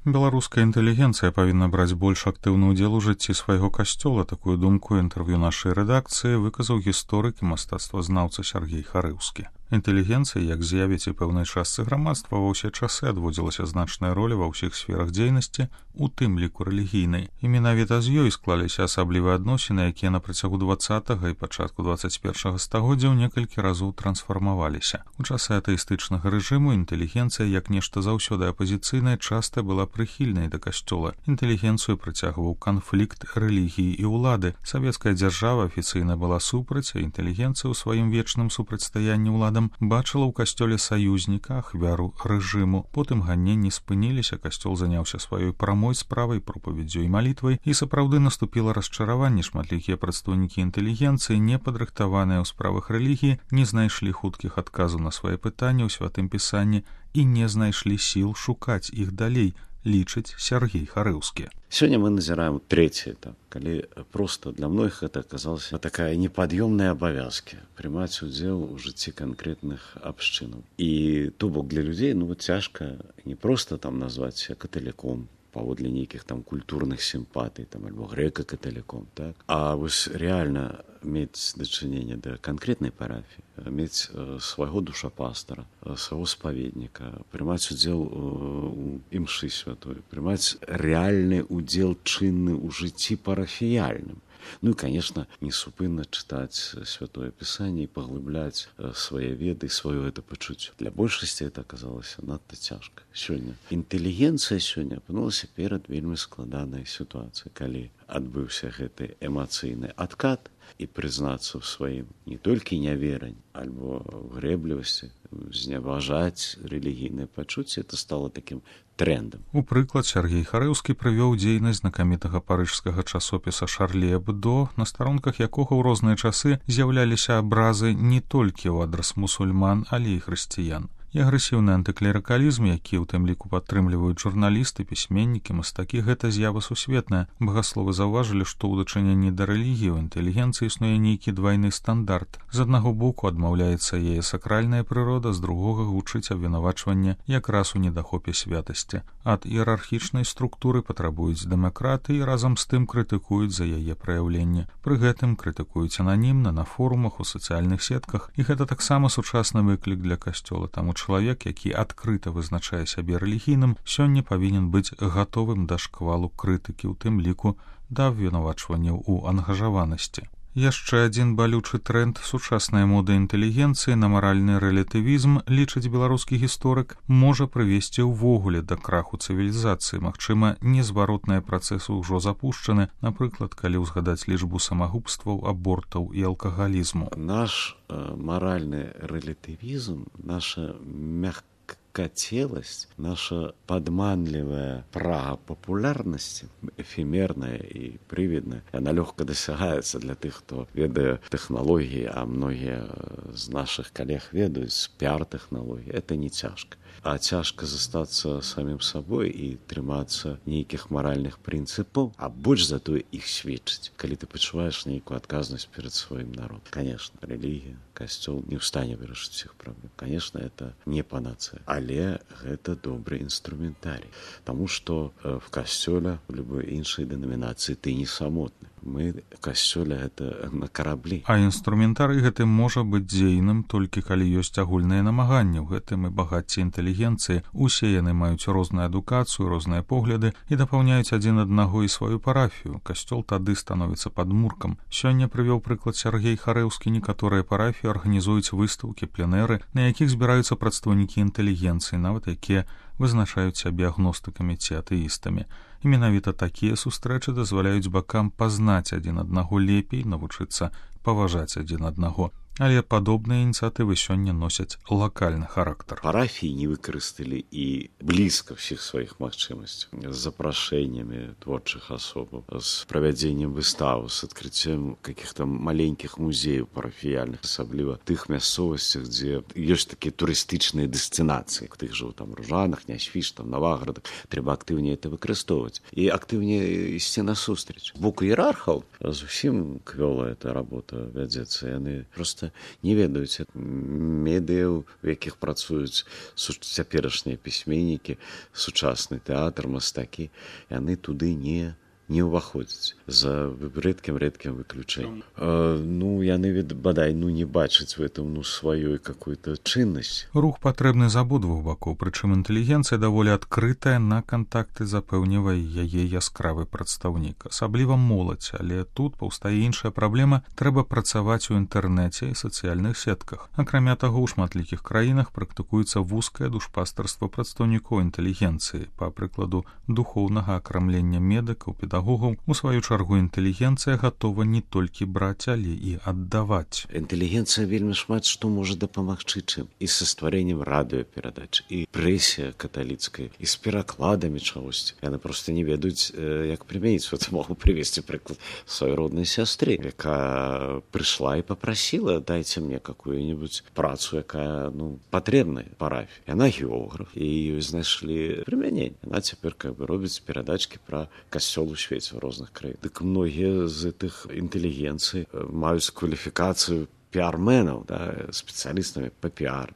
Беларуская інтэлігенцыя павінна браць больш актыўны ўдзел у жыцці свайго касцёла. Такую думку ў інтэрв'ю нашай рэдакцыі выказаў гісторык і мастацтвазнаўца Сяргей Харыўскі. Інтэлігенцыі, як з'явіць і пэўнай частцы грамадства, ва ўсе часы адводзілася значная роля ва ўсіх сферах дзейнасці, у тым ліку рэлігійнай. І менавіта з ёй склаліся асаблівыя адносіны, якія на працягу 20-га і пачатку 21-га стагоддзяў некалькі разоў трансфармаваліся. У часы атэістычнага рэжыму інтэлігенцыя, як нешта заўсёды апазіцыйнае, часта была прыхільнай да касцёла. Інтэлігенцыю прыцягваў канфлікт рэлігіі і ўлады. Савецкая дзяржава афіцыйна была супраць, а інтэлігенцыя ў сваім вечным супрацьстаянні ўладам бачыла ў касцёле саюзніка, ахвяру рэжыму. Потым ганненні спыніліся, касцёл заняўся сваёй прамой справай, пропаведдзю і малітвай, і сапраўды наступіла расчараванне. Шматлікія прадстаўнікі інтэлігенцыі, не падрыхтаваныя ў справах рэлігіі, не знайшлі хуткіх адказаў на свае пытанні ў святым пісанні і не знайшлі сіл шукаць іх далей, лічыць Сяргей Харыўскі. Сёння мы назіраем трэці этап, калі проста для многіх гэта аказалася такая непад'ёмная абавязкі прымаць удзел у жыцці канкрэтных абшчынаў. І то бок для людзей цяжка не проста там назваць себя каталіком паводле нейкіх там культурных сімпатый там альбо грэка-каталіком, так? А вось реальна мець дачыненне да канкрэтнай парафіі, мець свайго душапастара, свайго спаведніка, прымаць удзел у імшы святой, прымаць рэальны удзел чынны ў жыцці парафіяльным. Ну і, конечно, несупынна чытаць святое пісанне і паглыбляць свае веды, сваё гэта пачуццё. Для большасці это аказалася надта цяжка. Сёння інтэлігенцыя сёння апынулася перад вельмі складанай сітуацыяй, калі адбыўся гэты эмацыйны адкат, і прызнацца ў сваім не толькі няверань, альбо грэблівасці, зневажаць рэлігійныя пачуцці, это стало такім трендам. У прыклад Сяргей Харыўскі прывёў дзейнасць знакамітага парыжскага часопіса «Шарлі Эбдо», на старонках якога ў розныя часы з'яўляліся абразы не толькі ў адрас мусульман, але і хрысціян. І агрэсіўны антыклерыкалізм, які ў тым ліку падтрымліваюць журналісты, пісьменнікі, мастакі, гэта з'ява сусветная. Багасловы заўважылі, што ў дачыненні да рэлігіі ў інтэлігенцыі існуе нейкі двайны стандарт. З аднаго боку адмаўляецца яе сакральная прырода, з другога гучыць абвінавачванне якраз у недахопе святасці. Ад іерархічнай структуры патрабуюць дэмакраты і разам з тым крытыкуюць за яе праяўленне. Пры гэтым крытыкуюць ананімна на форумах, у сацыяльных сетках, і гэта таксама сучасны выклік для касцёла. Таму чалавек, які адкрыта вызначае сябе рэлігійным, сёння павінен быць гатовым да шквалу крытыкі, у тым ліку да абвінавачванняў у ангажаванасці. Яшчэ адзін балючы тренд сучаснай моды інтэлігенцыі на маральны рэлятывізм, лічыць беларускі гісторык, можа прывесці ўвогуле да краху цывілізацыі. Магчыма, незваротныя працэсы ўжо запушчаны, напрыклад, калі ўзгадаць лічбу самагубстваў, абортаў і алкагалізму. Наш маральны рэлятывізм, наша мягкотелость, наша падманлівая прага папулярнасці, эфемерная і прывідная, яна лёгка дасягаецца для тых, хто ведае тэхналогіі, а многія з нашых калег ведаюць піар-тэхналогіі. Это не цяжка. А цяжка застацца самім сабой і трымацца нейкіх маральных прынцыпаў, а больш за тое іх сведчыць, калі ты пачуваеш нейкую адказнасць перад сваім народам. Конечно, рэлігія, касцёл не ў стане вырашыць усіх праблем. Конечно, это не панацыя, але гэта добры інструментарій. Таму што в касцёле, у любой іншай дэнамінацыі ты не самотны. Мы в касцёле гэта на караблі. А інструментарый гэты можа быць дзейным толькі калі ёсць агульныя намаганні. У гэтым і багацце інтэлігенцыі. Усе яны маюць розную адукацыю, розныя погляды і дапаўняюць адзін аднаго і сваю парафію. Касцёл тады становіцца падмуркам. Сёння прывёў прыклад Сяргей Харыўскі. Некаторыя парафіі арганізуюць выстаўкі, пленэры, на якіх збіраюцца прадстаўнікі інтэлігенцыі, нават якія вызначаюць сябе агностыкамі ці атэістамі. І менавіта такія сустрэчы дазваляюць бакам пазнаць адзін аднаго лепей, навучыцца паважаць адзін аднаго. Але падобныя ініцыятывы сёння носяць лакальны характар. Парафіі не выкарысталі і блізка ўсіх сваіх магчымасцяў. З запрашэннямі творчых асобаў, з правядзеннем выстаў, з адкрыццем каких-то маленькіх музеяў парафіяльных, асабліва тых мясцовасцях, дзе ёсць такія турыстычныя дэстынацыі. Тых жа там Ружанах, Нясвіж, там Наваградах. Трэба актыўней это выкарыстоўваць і актыўней ісці насустрач. З боку іерархаў зусім квёла эта работа вядзецца. Яны проста проста не ведаюць медыяў, у якіх працуюць цяперашнія пісьменнікі, сучасны тэатр, мастакі. Яны туды не ўваходзяць за рэдкім выключэннем. Яны бадай не бачаць в этом сваёй какой-то чыннасць. Рух патрэбны з абодвух бакоў, прычым інтэлігенцыя даволі адкрытая на кантакты, запэўнівае яе яскравы прадстаўнік, асабліва моладзь, але тут паўстае іншая праблема, трэба працаваць у інтэрнэце і сацыяльных сетках. Акрамя таго, у шматлікіх краінах практыкуецца вузкае душпастарства прадстаўнікоў інтэлігенцыі, па прыкладу духоўнага акрамлення медыкаў, педагогаў. У сваю чаргу інтэлігенцыя гатова не толькі браць, але і аддаваць. Інтэлігенцыя вельмі шмат што можа дапамагчы чым. І са стварэннем радыёперадач, і прэсе каталіцкай, і з перакладамі чагосьці. Яны проста не ведаюць, як прымяніць. Могу прывесці прыклад сваёй роднай сястры, якая прыйшла і папрасіла: дайце мне какую-нибудь працу, якая патрэбная парафіі. Яна географ, і ёй знайшлі прымяненне. Яна цяпер робіць перадачкі пра касцёл у свеце ў розных краінах. Дык многія з гэтых інтэлігенцый маюць кваліфікацыю піарменаў, спецыялістамі па піар,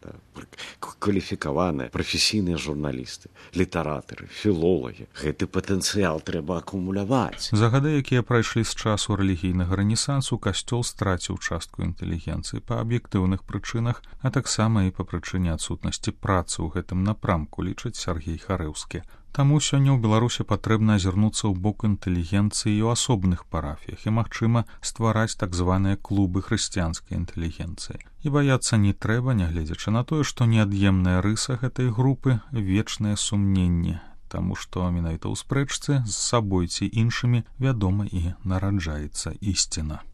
кваліфікаваныя прафесійныя журналісты, літаратары, філолагі. Гэты патэнцыял трэба акумуляваць. За гады, якія прайшлі з часу рэлігійнага рэнесансу, касцёл страціў частку інтэлігенцыі па аб'ектыўных прычынах, а таксама і па прычыне адсутнасці працы ў гэтым напрамку, лічыць Сяргей Харэўскі. Таму сёння ў Беларусі патрэбна азірнуцца ў бок інтэлігенцыі і ў асобных парафіях і, магчыма, ствараць так званыя клубы хрысціянскай інтэлігенцыі. І баяцца не трэба, нягледзячы на тое, што неад'емная рыса гэтай групы — вечнае сумненне, таму што менавіта ў спрэчцы з сабой ці іншымі, вядома, і нараджаецца ісціна.